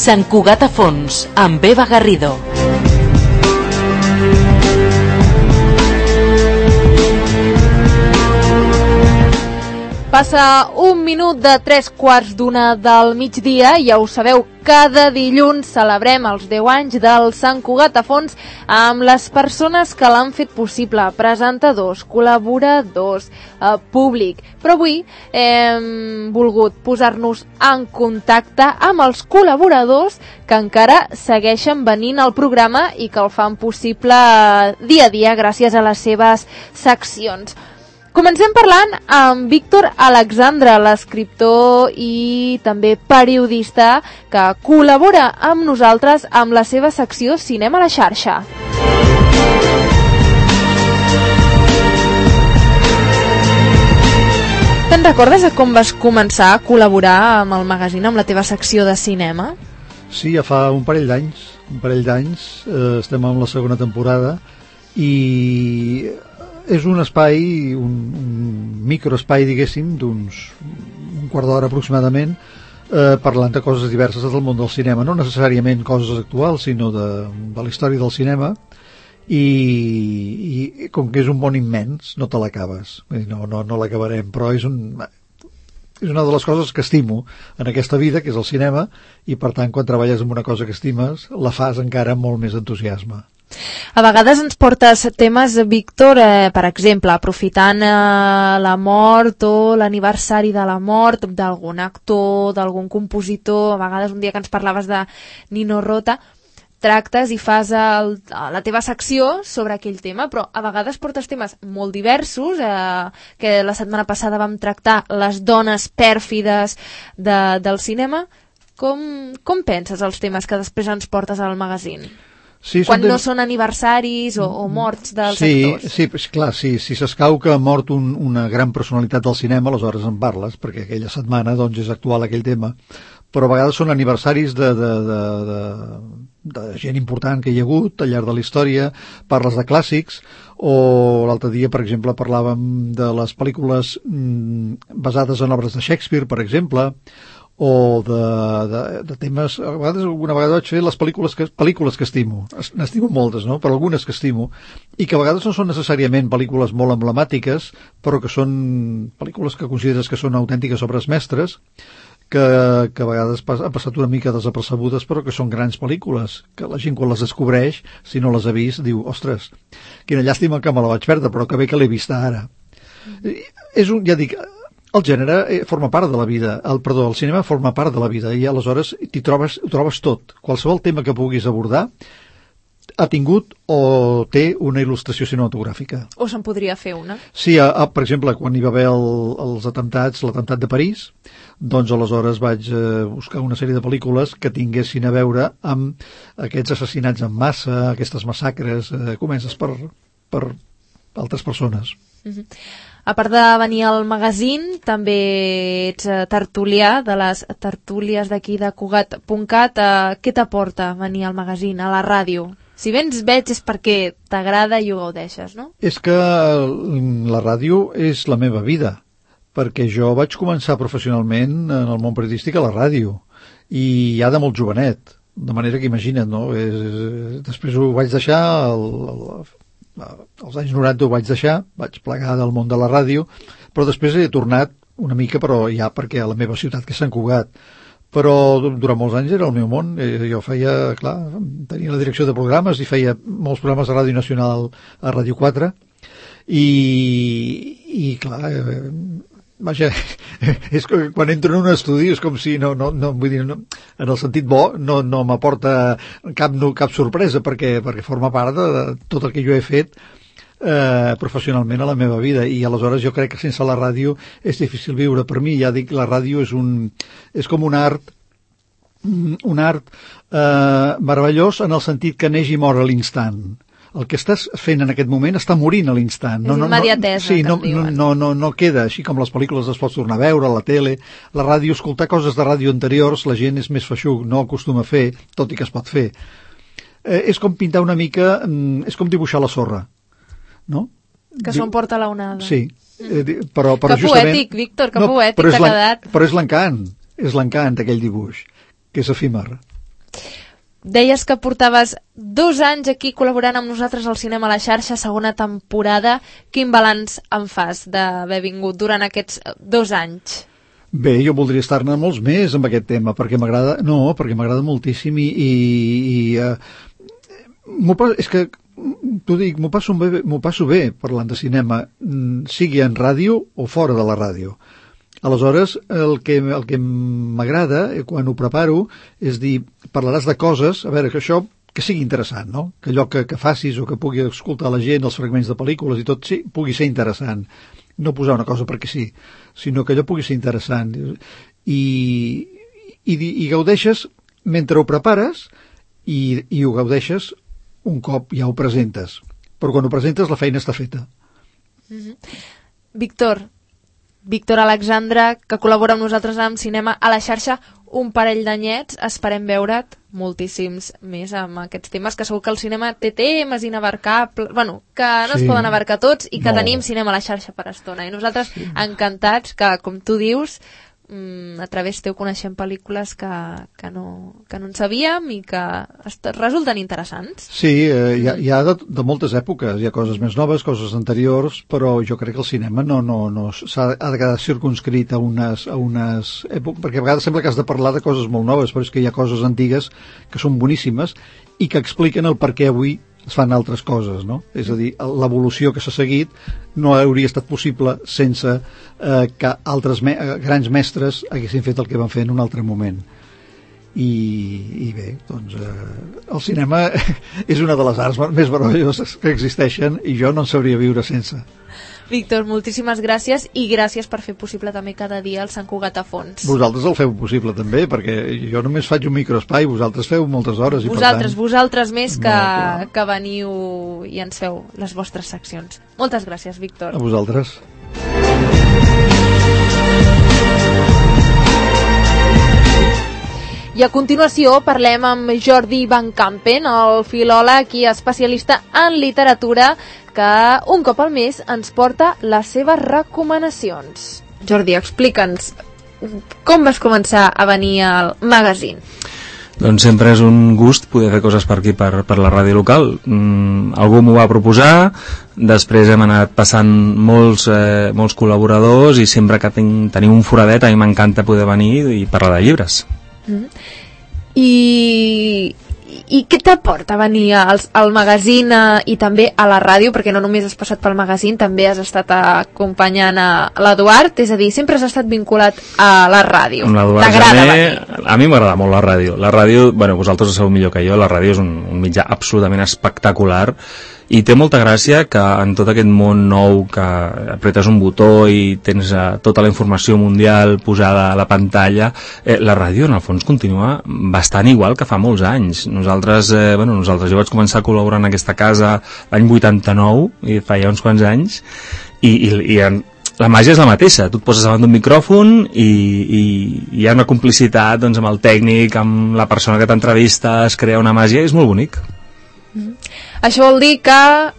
Sant Cugat a Fons, amb Eva Garrido. Passa un minut de 3:15 del migdia i ja ho sabeu, cada dilluns celebrem els 10 anys del Sant Cugat a Fons amb les persones que l'han fet possible, presentadors, col·laboradors, públic. Però avui hem volgut posar-nos en contacte amb els col·laboradors que encara segueixen venint al programa i que el fan possible dia a dia gràcies a les seves seccions. Comencem parlant amb Víctor Alexandre, l'escriptor i també periodista que col·labora amb nosaltres amb la seva secció Cinema a la xarxa. Te'n recordes de com vas començar a col·laborar amb el magazín, amb la teva secció de cinema? Sí, ja fa un parell d'anys, estem en la segona temporada i és un espai, un microespai, diguéssim, d'uns un quart d'hora aproximadament, parlant de coses diverses del món del cinema, no necessàriament coses actuals, sinó de la història del cinema, i com que és un món immens, no te l'acabes. No l'acabarem, però és una de les coses que estimo en aquesta vida, que és el cinema, i per tant, quan treballes en una cosa que estimes, la fas encara amb molt més entusiasme. A vegades ens portes temes, Víctor, per exemple, aprofitant la mort o l'aniversari de la mort d'algun actor, d'algun compositor, a vegades un dia que ens parlaves de Nino Rota, tractes i fas la teva secció sobre aquell tema, però a vegades portes temes molt diversos, que la setmana passada vam tractar les dones pèrfides del cinema. Com penses els temes que després ens portes al magazín? Sí, quan no són aniversaris o morts dels actors. Sí, clar, si s'escau que ha mort una gran personalitat del cinema, aleshores en parles, perquè aquella setmana doncs, és actual aquell tema, però a vegades són aniversaris de gent important que hi ha hagut al llarg de la història, parles de clàssics, o l'altre dia, per exemple, parlàvem de les pel·lícules basades en obres de Shakespeare, per exemple, o de temes, alguna vegada vaig fer les pel·lícules que estimo, n'estimo moltes, no? Però algunes que estimo, i que a vegades no són necessàriament pel·lícules molt emblemàtiques, però que són pel·lícules que consideres que són autèntiques obres mestres, que a vegades han passat una mica desapercebudes, però que són grans pel·lícules, que la gent quan les descobreix, si no les ha vist, diu, ostres, quina llàstima que me la vaig perdre, però que bé que l'he vista ara. Ja dic, el gènere forma part de la vida, el cinema forma part de la vida, i aleshores ho trobes tot. Qualsevol tema que puguis abordar ha tingut o té una il·lustració cinematogràfica. O se'n podria fer una? Sí, per exemple, quan hi va haver els atemptats, l'atemptat de París, doncs aleshores vaig buscar una sèrie de pel·lícules que tinguessin a veure amb aquests assassinats en massa, aquestes massacres, comences per altres persones. A part de venir al magazín, també ets tertulià de les tertúlies d'aquí de Cugat.cat. Què t'aporta venir al magazín, a la ràdio? Si bé ens veig és perquè t'agrada i ho gaudeixes, no? És que la ràdio és la meva vida, perquè jo vaig començar professionalment en el món periodístic a la ràdio, i ja de molt jovenet, de manera que imagina't, no? Després ho vaig deixar, als anys 90 ho vaig deixar, vaig plegar del món de la ràdio, però després he tornat una mica, però ja perquè a la meva ciutat, que és Sant Cugat. Però durant molts anys era el meu món. Jo feia, clar, tenia la direcció de programes i feia molts programes de Ràdio Nacional a Ràdio 4 i clar, vaja, és que quan entro en un estudi és com si vull dir, en el sentit bo no m'aporta cap sorpresa perquè forma part de tot el que jo he fet professionalment a la meva vida, i aleshores jo crec que sense la ràdio és difícil viure. Per mi, ja dic, la ràdio és com un art meravellós en el sentit que neix i mor a l'instant. El que estàs fent en aquest moment està morint a l'instant. És immediatesa, sí, no queda, així com les pel·lícules les pots tornar a veure, a la tele, la ràdio, escoltar coses de ràdio anteriors, la gent és més feixuc, no acostuma a fer, tot i que es pot fer. És com pintar una mica, és com dibuixar la sorra, no? Que s'ho emporta la onada. Sí, però que justament... poètic, Víctor, que poètic t'ha quedat. Però és l'encant d'aquell dibuix, que és efímer. Deies que portaves 2 anys aquí col·laborant amb nosaltres al Cinema a la Xarxa, segona temporada. Quin balanç en fas d'haver vingut durant aquests 2 anys? Bé, jo voldria estar-ne molts més amb aquest tema, perquè m'agrada moltíssim és que t'ho dic, m'ho passo bé parlant de cinema, sigui en ràdio o fora de la ràdio. Aleshores, el que m'agrada quan ho preparo és dir, parlaràs de coses, a veure, que això que sigui interessant, no? Que allò que facis o que pugui escoltar la gent, els fragments de pel·lícules i tot, sí, pugui ser interessant. No posar una cosa perquè sí, sinó que allò pugui ser interessant. I gaudeixes mentre ho prepares i ho gaudeixes un cop ja ho presentes. Però quan ho presentes la feina està feta. Víctor Alexandre, que col·labora amb nosaltres amb Cinema a la Xarxa, un parell d'anyets, esperem veure't moltíssims més amb aquests temes, que segur que el cinema té temes inabarcables, que no es poden abarcar tots i que tenim Cinema a la Xarxa per estona. I nosaltres encantats que, com tu dius, a través teu coneixem pel·lícules que no en sabíem i que resulten interessants. Sí, hi ha de moltes èpoques, hi ha coses més noves, coses anteriors, però jo crec que el cinema no ha de quedar circunscrit a unes èpoques, perquè a vegades sembla que has de parlar de coses molt noves, però és que hi ha coses antigues que són boníssimes i que expliquen el per què avui es fan altres coses, no? És a dir, l'evolució que s'ha seguit no hauria estat possible sense que altres grans mestres haguessin fet el que van fer en un altre moment. I bé, doncs el cinema és una de les arts més meravelloses que existeixen i jo no en sabria viure sense. Víctor, moltíssimes gràcies i gràcies per fer possible també cada dia el Sant Cugat a fons. Vosaltres el feu possible també, perquè jo només faig un microespai, vosaltres feu moltes hores. Vosaltres més que veniu i ens feu les vostres seccions. Moltes gràcies, Víctor. A vosaltres. I a continuació parlem amb Jordi Van Campen, el filòleg i especialista en literatura, que un cop al mes ens porta les seves recomanacions. Jordi, explica'ns, com vas començar a venir al magazín? Doncs sempre és un gust poder fer coses per aquí, per la ràdio local. Algú m'ho va proposar, després hem anat passant molts col·laboradors i sempre que tenim un foradet a mi m'encanta poder venir i parlar de llibres. I què t'aporta venir al magazín i també a la ràdio, perquè no només has passat pel magazín, també has estat acompanyant a l'Eduard, és a dir, sempre has estat vinculat a la ràdio. T'agrada venir? A mi m'agrada molt la ràdio. La ràdio, vosaltres ho sabeu millor que jo, la ràdio és un mitjà absolutament espectacular i té molta gràcia que en tot aquest món nou que apretes un botó i tens tota la informació mundial posada a la pantalla, la ràdio en el fons continua bastant igual que fa molts anys. Nosaltres jo vaig començar a col·laborar en aquesta casa l'any 89 i fa ja uns quants anys i la màgia és la mateixa, tu et poses davant d'un micròfon i hi ha una complicitat doncs, amb el tècnic, amb la persona que t'entrevista, es crea una màgia i és molt bonic. Això vol dir que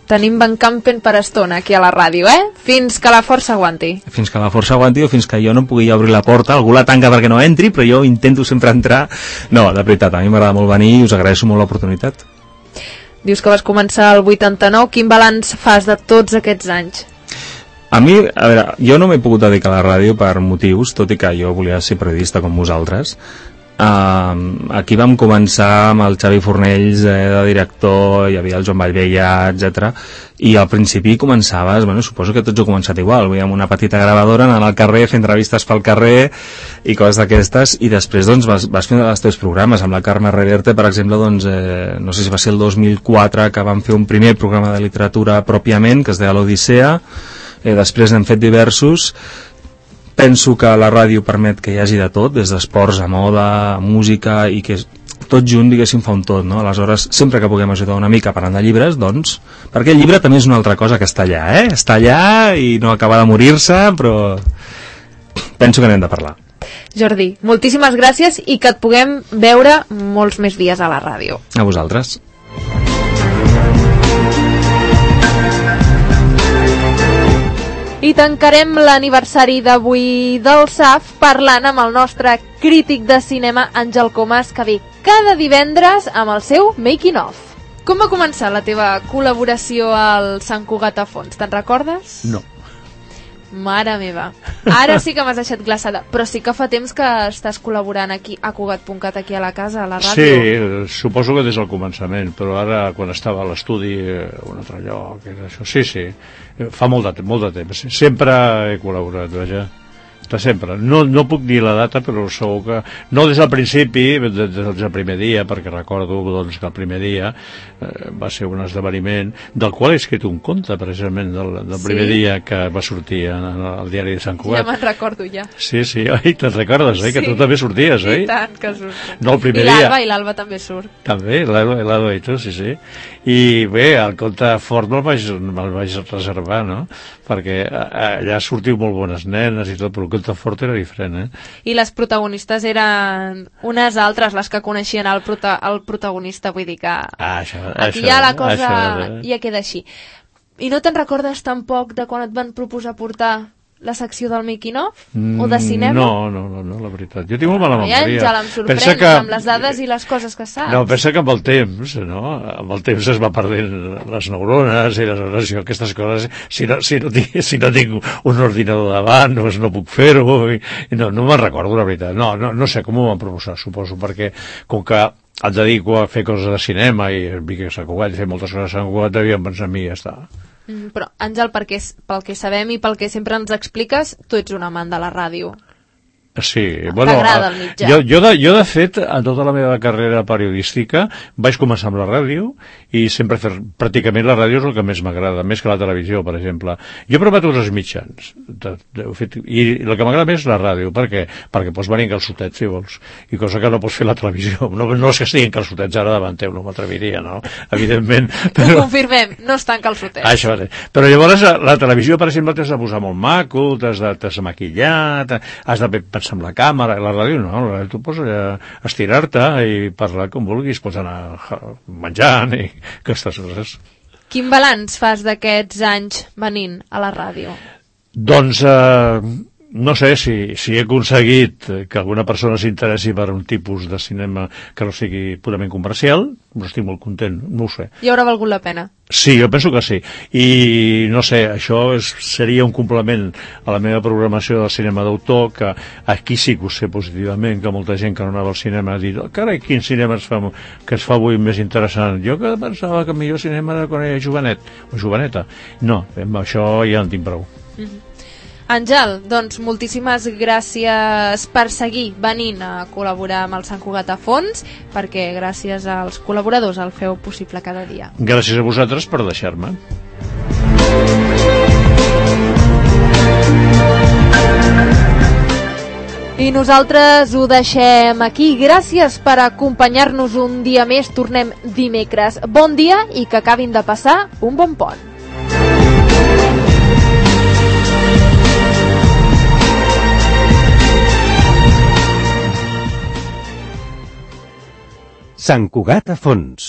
tenim Van Campen per estona aquí a la ràdio, fins que la força aguanti. Fins que la força aguanti o fins que jo no pugui obrir la porta. Algú la tanca perquè no entri, però jo intento sempre entrar. No, de veritat, a mi m'agrada molt venir i us agraeixo molt l'oportunitat. Dius que vas començar el 89. Quin balanç fas de tots aquests anys? A mi, a veure, jo no m'he pogut dedicar a la ràdio per motius, tot i que jo volia ser periodista com vosaltres. Aquí vam començar amb el Xavi Fornells de director, hi havia el Joan Vallvella, etc. I al principi començaves, suposo que tots heu començat igual, amb una petita gravadora anant al carrer, fent entrevistes pel carrer i coses d'aquestes, i després doncs vas fent els teus programes. Amb la Carme Reverte, per exemple, doncs, no sé si va ser el 2004 que vam fer un primer programa de literatura pròpiament, que es deia l'Odissea, després n'hem fet diversos. Penso que la ràdio permet que hi hagi de tot, des d'esports a moda, a música, i que tot junt, diguéssim, fa un tot, no? Aleshores, sempre que puguem ajudar una mica parlant de llibres, doncs, perquè el llibre també és una altra cosa que està allà, Està allà i no acaba de morir-se, però penso que n'hem de parlar. Jordi, moltíssimes gràcies i que et puguem veure molts més dies a la ràdio. A vosaltres. I I tancarem l'aniversari d'avui del SAF parlant amb el nostre crític de cinema, Àngel Comas, que ve cada divendres amb el seu Making of. Com va començar la teva col·laboració al Sant Cugat a Fons? Te'n recordes? No. Mare meva, ara sí que m'has deixat glaçada, però sí que fa temps que estàs col·laborant aquí a Cugat.cat, aquí a la casa, a la ràdio. Sí, suposo que des del començament, però ara quan estava a l'estudi un altre lloc, això, sí, fa molt de temps, sempre he col·laborat, vaja, de sempre, no puc dir la data, però segur que, no des del principi, des del primer dia, perquè recordo doncs, que el primer dia va ser un esdeveniment del qual he escrit un conte, precisament, del primer dia que va sortir al diari de Sant Cugat. Ja me'n recordo, ja. Sí, oi, te'n recordes, oi? Que tu també sorties, oi? I tant, que surto. No, el primer dia. I l'Alba també surt. També, l'Alba i tu, sí. I bé, el conte fort me'l vaig reservar, no? Perquè allà sortiu molt bones nenes i tot, però el conte fort era diferent, I les protagonistes eren unes altres, les que coneixien el protagonista, vull dir que aquí ja la cosa ja queda així. I no te'n recordes tampoc de quan et van proposar portar la secció del Making of? O de cinema? No, la veritat. Jo tinc molt mala memòria. Ja em sorprens amb les dades i les coses que saps. No, pensa que amb el temps, no? Amb el temps es va perdent les neurones i aquestes coses. Si no tinc un ordinador davant, doncs no puc fer-ho. No me'n recordo, la veritat. No sé com ho van proposar, suposo, perquè com que et dedico a fer coses de cinema i vinc a Sant Cugat i fer moltes coses a Sant Cugat, devien pensar en mi i ja està. Però, Àngel, pel que sabem i pel que sempre ens expliques, tu ets un amant de la ràdio. Sí, bueno, t'agrada el mitjà. Jo de fet, en tota la meva carrera periodística vaig començar amb la ràdio i sempre pràcticament la ràdio és el que més m'agrada, més que la televisió, per exemple. Jo he provat uns mitjans i el que m'agrada més és la ràdio. Per què? Perquè pots venir en calçotets, si vols, i cosa que no pots fer a la televisió. No és que estiguin calçotets ara davant teu, no m'atreviria, no? Evidentment. Ho confirmem, no estan calçotets. Això, però llavors la televisió, per exemple, t'has de posar molt maco, t'has de maquillar, has de pensar amb la càmera, la ràdio no, la ràdio tu pots estirar-te i parlar com vulguis, pots anar menjant i aquestes coses. Quin balanç fas d'aquests anys venint a la ràdio? Doncs no sé si he aconseguit que alguna persona s'interessi per un tipus de cinema que no sigui purament comercial, però estic molt content, no ho sé. I haurà valgut la pena? Sí, jo penso que sí. I no sé, això seria un complement a la meva programació del cinema d'autor, que aquí sí que ho sé positivament, que molta gent que no anava al cinema ha dit, carai, quin cinema que es fa avui més interessant. Jo que pensava que el millor cinema era quan era jovenet o joveneta. No, amb això ja en tinc prou. Àngel, doncs moltíssimes gràcies per seguir venint a col·laborar amb el Sant Cugat a Fons, perquè gràcies als col·laboradors el feu possible cada dia. Gràcies a vosaltres per deixar-me. I nosaltres ho deixem aquí. Gràcies per acompanyar-nos un dia més. Tornem dimecres. Bon dia i que acabin de passar un bon pont. Sant Cugat a Fons.